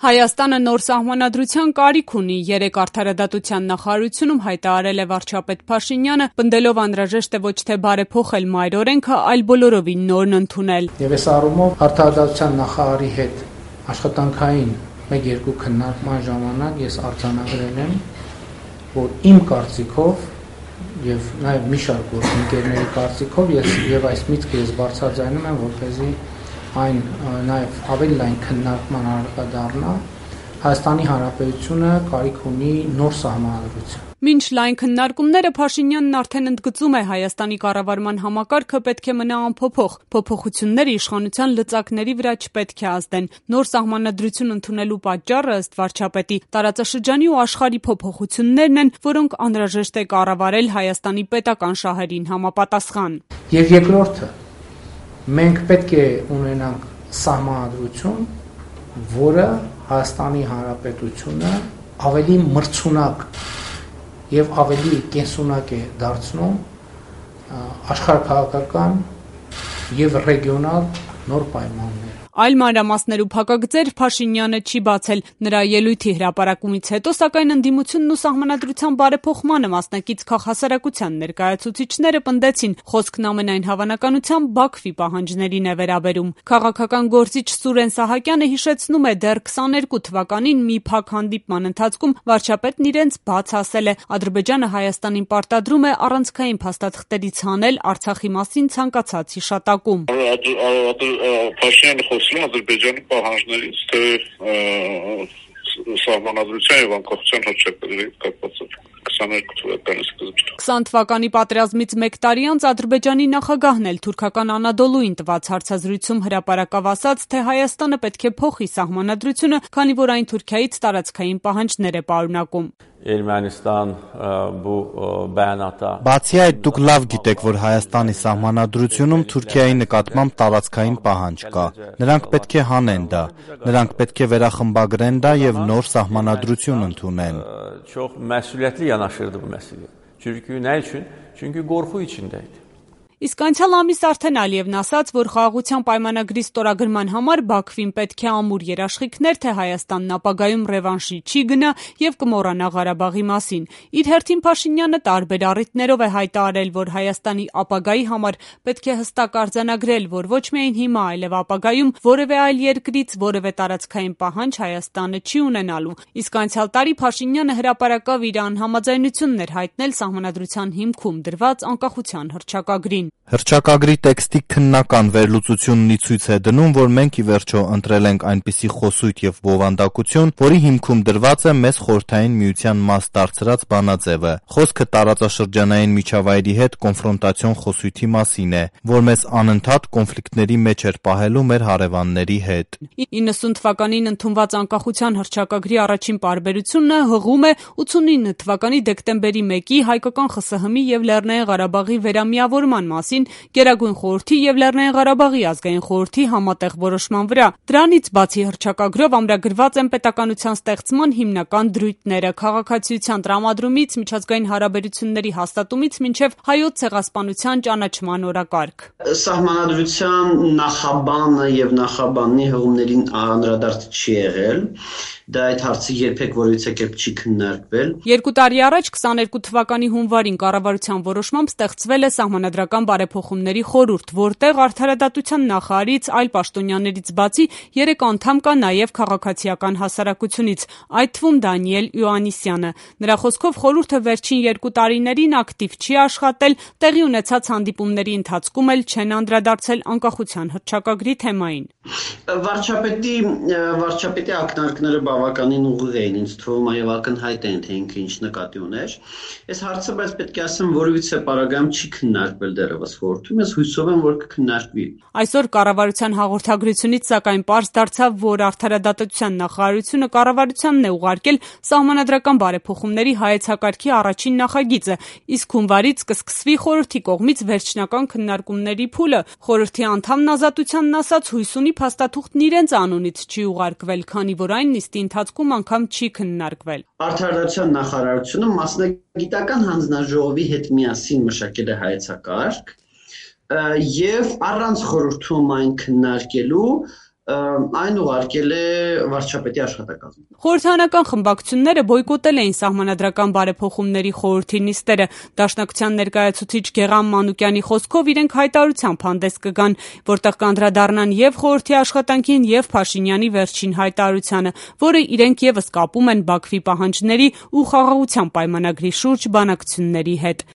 Հայաստանը նոր սահմանադրության կարիք ունի, 3 արդարադատության նախարարությունում հայտարարել է վարչապետ Փաշինյանը, պնդելով անհրաժեշտ է ոչ թե բարեփոխել մայր օրենքը, այլ բոլորովին նորն ընդունել։ Եվ այս առումով արդարադատության նախարարի հետ աշխատանքային 1-2 քննարկման ժամանակ ես արձանագրել եմ, որ իմ կարծիքով եւ նաեւ մի շարք գործընկերների կարծիքով եւ այս միտքը ես բարձրաձայնում եմ, որպեսզի այն նաև ավելի լայն քննարկման առարկա Հայաստանի Հանրապետությունը կարիք ունի նոր սահմանադրության։ Մինչ լայն քննարկումները Փաշինյանն արդեն ընդգծում է Հայաստանի կառավարման համակարգը պետք է մնա անփոփոխ, փոփոխությունները իշխանության լծակների վրա չպետք է ազդեն։ Նոր սահմանադրություն ընդունելու պատճառը ըստ վարչապետի տարածաշրջանի ու աշխարհի փոփոխություններն են, որոնք անհրաժեշտ է կառավարել Հայաստանի պետական շահերին համապատասխան։ Եվ երկրորդը մենք պետք է ունենանք սահմանադրություն, որը Հայաստանի Հանրապետությունը ավելի մրցունակ եւ ավելի կենսունակ է դարձնում աշխարհաքաղաքական եւ ռեգիոնալ նոր պայմաններ։ Այլ մանրամասներու փակագծեր Փաշինյանը չի բացել։ Նրա ելույթի հրապարակումից հետո, սակայն ընդդիմությունն ու սահմանադրության բարեփոխմանը մասնակից քաղաքասարակության ներկայացուցիչները պնդեցին, խոսքն ամենայն հավանականությամբ Բաքվի պահանջներին է վերաբերում։ Քաղաքական գործիչ Սուրեն Սահակյանը հիշեցնում է, դեռ 22 թվականին մի փակ հանդիպման ընթացքում վարչապետն իրենց բաց ասել է. Ադրբեջանը Հայաստանին պարտադրում է առանցքային փաստաթղթերից հանել Արցախի մասին ցանկացած հիշատակում։ Ադրբեջանի պահանջներից թե սահմանադրության եւ անկախության հռչակագրի կապված 22 թվականի սկզբին։ 20 թվականի պատերազմից 1 տարի անց Ադրբեջանի նախագահն էլ թուրքական Անադոլուին տված հարցազրույցում հրապարակավ ասաց, թե Հայաստանը պետք է փոխի սահմանադրությունը, քանի որ այն Թուրքիայից տարածքային պահանջներ է պարունակում։ Բացի այդ, դուք լավ գիտեք, որ Հայաստանի սահմանադրությունում Թուրքիայի նկատմամբ տարածքային պահանջ կա։ Նրանք պետք է հանեն դա, նրանք պետք է վերախմբագրեն դա եւ նոր սահմանադրություն ընդունեն։ Իսկ անցյալ ամիս արդեն Ալիևն ասաց, որ խաղաղության պայմանագրի ստորագրման համար Բաքվին պետք է ամուր երաշխիքներ, թե Հայաստանն ապագայում ռևանշի չի գնա եւ կմոռանա Ղարաբաղի մասին։ Իր հերթին Փաշինյանը տարբեր առիթներով է հայտարարել, որ Հայաստանի ապագայի համար պետք է հստակ արձանագրել, որ ոչ միայն հիմա, այլև ապագայում որևէ այլ երկրից որևէ տարածքային պահանջ Հայաստանը չի ունենալու։ Իսկ անցյալ տարի Փաշինյանը հրապարակավ իր անհամաձայնությունն էր հայտնել սահմանադրության հիմքում դրված անկախության հռչակագրին։ Հռչակագրի տեքստի քննական վերլուծությունն ի ցույց է դնում, որ մենք ի վերջո ընտրել ենք այնպիսի խոսույթ եւ բովանդակություն, որի հիմքում դրված է մեզ խորհրդային միության մաս դարձրած բանաձևը։ Խոսքը տարածաշրջանային միջավայրի հետ կոնֆրոնտացիոն խոսույթի մասին է, որ մեզ անընդհատ կոնֆլիկտների մեջ էր պահելու մեր հարևանների հետ։ 90 թվականին ընդունված անկախության հռչակագրի առաջին պարբերությունը հղում է 89 թվականի դեկտեմբերի 1-ի հայկական ԽՍՀՄ-ի եւ Լեռնային Ղարաբաղի վերամիավորման մասին Գերագույն խորհրդի եւ Լեռնային Ղարաբաղի ազգային խորհրդի համատեղ որոշման վրա։ Դրանից բացի հռչակագրով ամրագրված են պետականության ստեղծման հիմնական դրույթները՝ քաղաքացիության տրամադրումից միջազգային հարաբերությունների հաստատումից մինչև հայոց ցեղասպանության ճանաչման օրակարգ։ Սահմանադրության նախաբանը եւ նախաբանի հղումներին անդրադարձ չի եղել։ Դա այդ հարցը երբեք որևիցե կերպ չի քննարկվել։ 2 տարի առաջ 22 թվականի հունվարին կառավարության որոշմամբ ստեղծվել է Սահմանադրական բարեփոխումների խորհուրդ, որտեղ արդարադատության նախարարից, այլ պաշտոնյաներից բացի 3 անդամ կա նաև քաղաքացիական հասարակությունից, այդ թվում Դանիել Իոաննիսյանը։ Նրա խոսքով խորհուրդը վերջին 2 տարիներին ակտիվ չի աշխատել, տեղի ունեցած հանդիպումների ընթացքում էլ չեն անդրադարձել անկախության հռչակագրի թեմային։ Վարչապետի ակնարկները բավականին ուղիղ էին, ինձ թվում է եւ ակնհայտ են, թե ինքը ինչ նկատի ուներ։ Այս հարցը բայց պետք է ասեմ, որևիցե պարագայում չի քննարկվել դեռևս խորհրդում, ես հույսով եմ, որ կքննարկվի։ Այսօր կառավարության հաղորդագրությունից սակայն պարզ դարձավ, որ արդարադատության նախարարությունը կառավարությանն է ուղարկել սահմանադրական բարեփոխումների հայեցակարգի առաջին նախագիծը, իսկ հունվարից կսկսվի խորհրդի կողմից վերջնական քննարկումների փուլը։ Խորհրդի անդամն Ազատությանն ասաց, հույս ունի փաստաթուղթն իրենց անունից չի ուղարկվել, քանի որ այն նիստի ընթացքում անգամ չի քննարկվել։ Արդարադատության նախարարությունը մասնագիտական հանձնաժողովի հետ միասին մշակել է հայեցակարգ եւ առանց խորհրդում այն քննարկելու այն ուղարկել է վարչապետի աշխատակազմը։ Խորհրդարանական խմբակցությունները բոյկոտել էին սահմանադրական բարեփոխումների խորհրդի նիստերը։ Դաշնակցության ներկայացուցիչ Գեղամ Մանուկյանի խոսքով իրենք հայտարարությամբ հանդես կգան, որտեղ կանդրադառնան եւ խորհրդի աշխատանքին եւ Փաշինյանի վերջին հայտարարությանը, որը իրենք եւս կապում են Բաքվի պահանջների ու խաղաղության պայմանագրի շուրջ բանակցությունների հետ։